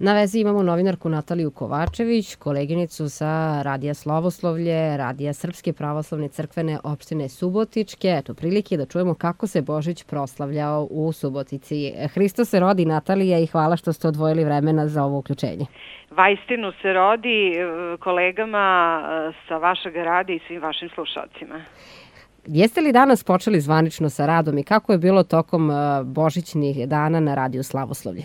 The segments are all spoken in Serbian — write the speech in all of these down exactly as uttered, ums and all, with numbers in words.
Na vezi imamo novinarku Nataliju Kovačević, koleginicu sa Radija Slavoslovlje, Radija Srpske pravoslavne crkvene opštine Subotičke. Eto, prilike da čujemo kako se Božić proslavljao u Subotici. Hristos se rodi, Natalija, i hvala što ste odvojili vremena za ovo uključenje. Vaistinu se rodi kolegama sa vašeg radija i svim vašim slušalcima. Jeste li danas počeli zvanično sa radom i kako je bilo tokom božićnih dana na Radiju Slavoslovlje?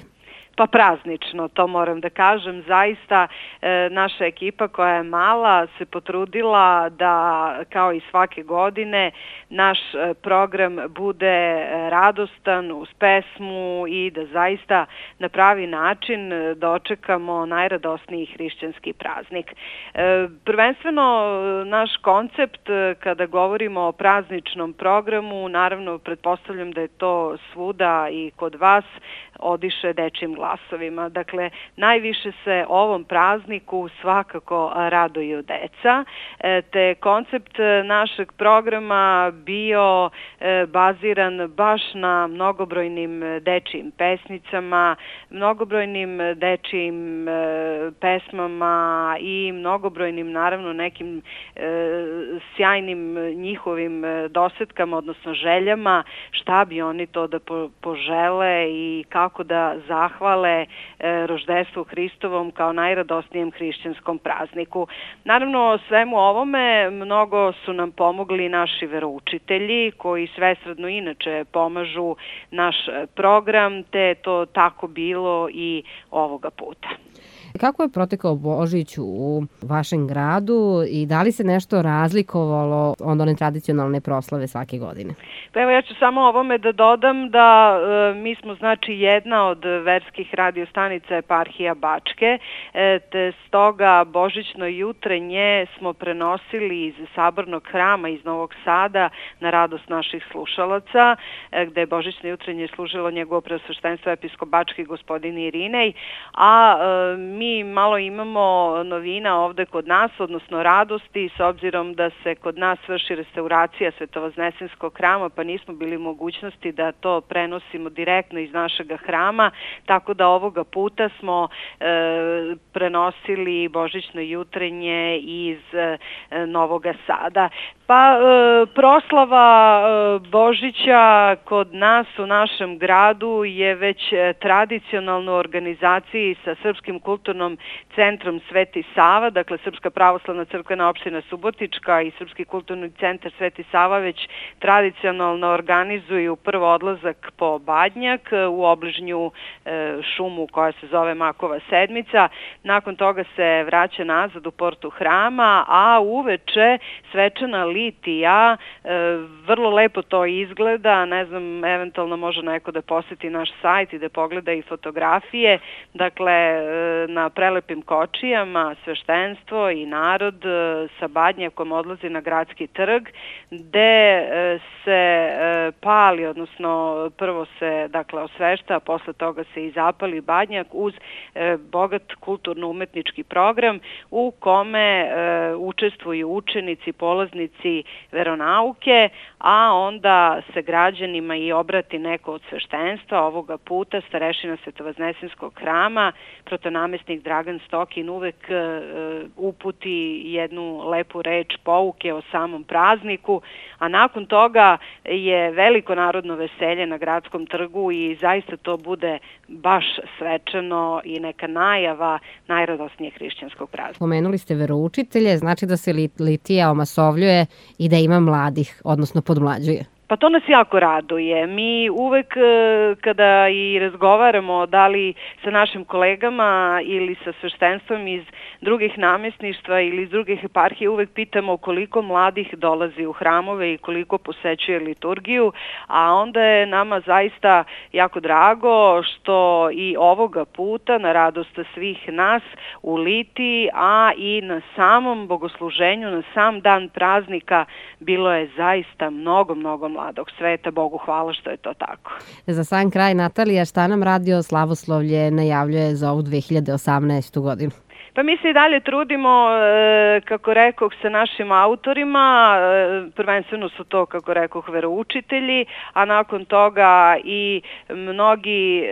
Pa praznično, to moram da kažem. Zaista e, naša ekipa koja je mala se potrudila da kao i svake godine naš program bude radostan uz pesmu i da zaista na pravi način dočekamo najradosniji hrišćanski praznik. E, prvenstveno naš koncept kada govorimo o prazničnom programu, naravno pretpostavljam da je to svuda i kod vas, odiše dečjim glasovima. Dakle, najviše se ovom prazniku svakako raduju deca, te koncept našeg programa bio baziran baš na mnogobrojnim dečjim pesnicama, mnogobrojnim dečjim pesmama i mnogobrojnim, naravno, nekim sjajnim njihovim dosetkama, odnosno željama, šta bi oni to da požele i kako kako da zahvale e, roždestvu Hristovom kao najradosnijem hrišćanskom prazniku. Naravno, svemu ovome mnogo su nam pomogli naši veroučitelji koji svesrdno inače pomažu naš program, te je to tako bilo i ovoga puta. Kako je protekao Božić u vašem gradu i da li se nešto razlikovalo od one tradicionalne proslave svake godine? Pa evo, ja ću samo ovome da dodam da e, mi smo znači jedna od verskih radiostanica eparhija Bačke, e, te stoga božićno jutrenje smo prenosili iz Sabornog hrama iz Novog Sada na radost naših slušalaca, e, gde je božićno jutrenje služilo njegovo preosveštenstvo episkop Bački gospodin Irinej, a e, mi malo imamo novina ovde kod nas, odnosno radosti, s obzirom da se kod nas vrši restauracija Svetovoznesenskog hrama, pa nismo bili u mogućnosti da to prenosimo direktno iz našeg hrama, tako da ovoga puta smo e, prenosili božićno jutrenje iz e, Novog Sada. Pa e, proslava e, Božića kod nas u našem gradu je već e, tradicionalno u organizaciji sa Srpskim kulturnom centrom Sveti Sava, dakle Srpska pravoslavna crkvena opština Subotička i Srpski kulturni centar Sveti Sava već tradicionalno organizuju prvo odlazak po Badnjak u obližnju e, šumu koja se zove Makova sedmica. Nakon toga se vraća nazad u portu hrama, a uveče svečana litija, e, vrlo lepo to izgleda, ne znam, eventualno može neko da poseti naš sajt i da pogleda i fotografije, dakle e, na prelepim kočijama sveštenstvo i narod e, sa Badnjakom odlazi na gradski trg, gde e, se e, pali, odnosno prvo se dakle osvešta, a posle toga se i zapali Badnjak uz e, bogat kulturno-umetnički program u kome e, učestvuju učenici, polaznici veronauke, a onda se građanima i obrati neko od sveštenstva, ovoga puta starešina Svetovoznesenskog hrama, protonamestnik Dragan Stokin uvek e, uputi jednu lepu reč pouke o samom prazniku, a nakon toga je veliko narodno veselje na gradskom trgu i zaista to bude baš svečano i neka najava najradosnijeg hrišćanskog praznika. Pomenuli ste veroučitelje, znači da se litija omasovljuje i da ima mladih, odnosno podmlađuje. Pa to nas jako raduje. Mi uvek kada i razgovaramo da li sa našim kolegama ili sa sveštenstvom iz drugih namjesništva ili iz drugih eparhije uvek pitamo koliko mladih dolazi u hramove i koliko posećuje liturgiju, a onda je nama zaista jako drago što i ovoga puta na radost svih nas u Litiji, a i na samom bogosluženju, na sam dan praznika bilo je zaista mnogo, mnogo mladog sveta. Bogu hvala što je to tako. Za sam kraj, Natalija, šta nam Radio Slavoslovlje najavljuje za ovu dve hiljade osamnaestu godinu? Pa mi se i dalje trudimo, kako rekoh, sa našim autorima, prvenstveno su to, kako rekoh, veroučitelji, a nakon toga i mnogi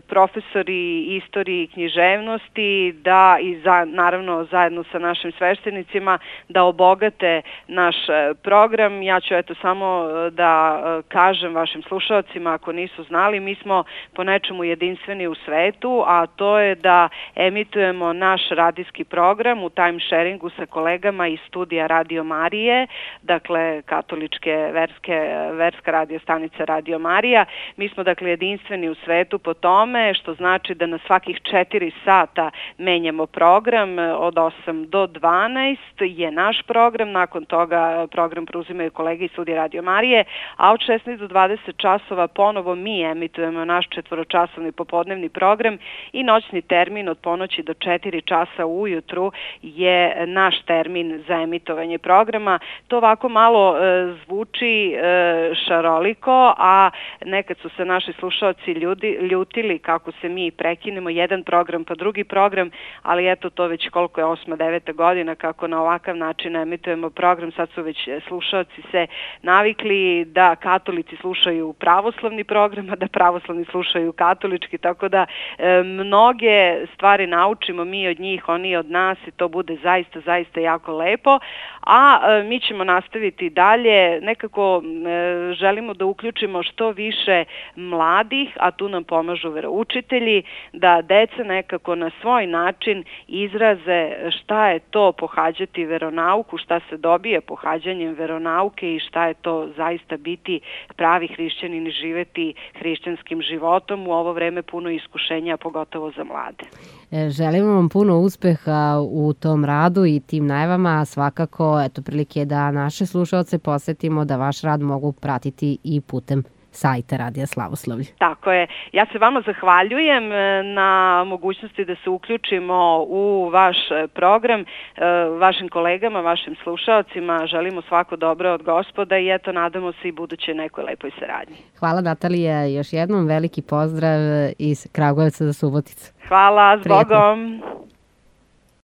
profesori istorije i književnosti, da i za, naravno zajedno sa našim sveštenicima, da obogate naš program. Ja ću eto samo da kažem vašim slušalcima, ako nisu znali, mi smo po nečemu jedinstveni u svetu, a to je da emitujemo naš radijski program u time sharingu sa kolegama iz studija Radio Marije, dakle katoličke verske, verska radio stanica Radio Marija. Mi smo dakle jedinstveni u svetu po tome, što znači da na svakih četiri sata menjamo program, od osam do dvanaest je naš program, nakon toga program preuzimaju kolege iz studija Radio Marije, a od šesnaest do dvadeset časova ponovo mi emitujemo naš četvoročasovni popodnevni program i noćni termin od ponoći do četiri časa ujutru je naš termin za emitovanje programa. To ovako malo e, zvuči e, šaroliko, a nekad su se naši slušalci ljudi, ljutili kako se mi prekinemo jedan program pa drugi program, ali eto to već koliko je osma, deveta godina kako na ovakav način emitujemo program. Sad su već slušalci se navikli da katolici slušaju pravoslavni program, a da pravoslavni slušaju katolički, tako da e, mnoge stvari naučimo mi od njih, oni od nas i to bude zaista, zaista jako lepo, a e, mi ćemo nastaviti dalje, nekako e, želimo da uključimo što više mladih, a tu nam pomažu veroučitelji, da deca nekako na svoj način izraze šta je to pohađati veronauku, šta se dobije pohađanjem veronauke i šta je to zaista biti pravi hrišćanin i živeti hrišćanskim životom u ovo vreme puno iskušenja, pogotovo za mlade. Želimo vam puno uspeha u tom radu i tim najavama, a svakako eto prilike da naše slušalce posetimo da vaš rad mogu pratiti i putem sajta Radija Slavoslavlje. Tako je. Ja se vama zahvaljujem na mogućnosti da se uključimo u vaš program, vašim kolegama, vašim slušalcima. Želimo svako dobro od Gospoda i eto nadamo se i buduće nekoj lepoj saradnji. Hvala Natalija, još jednom veliki pozdrav iz Kragujevca do Subotice. Hvala, s Bogom.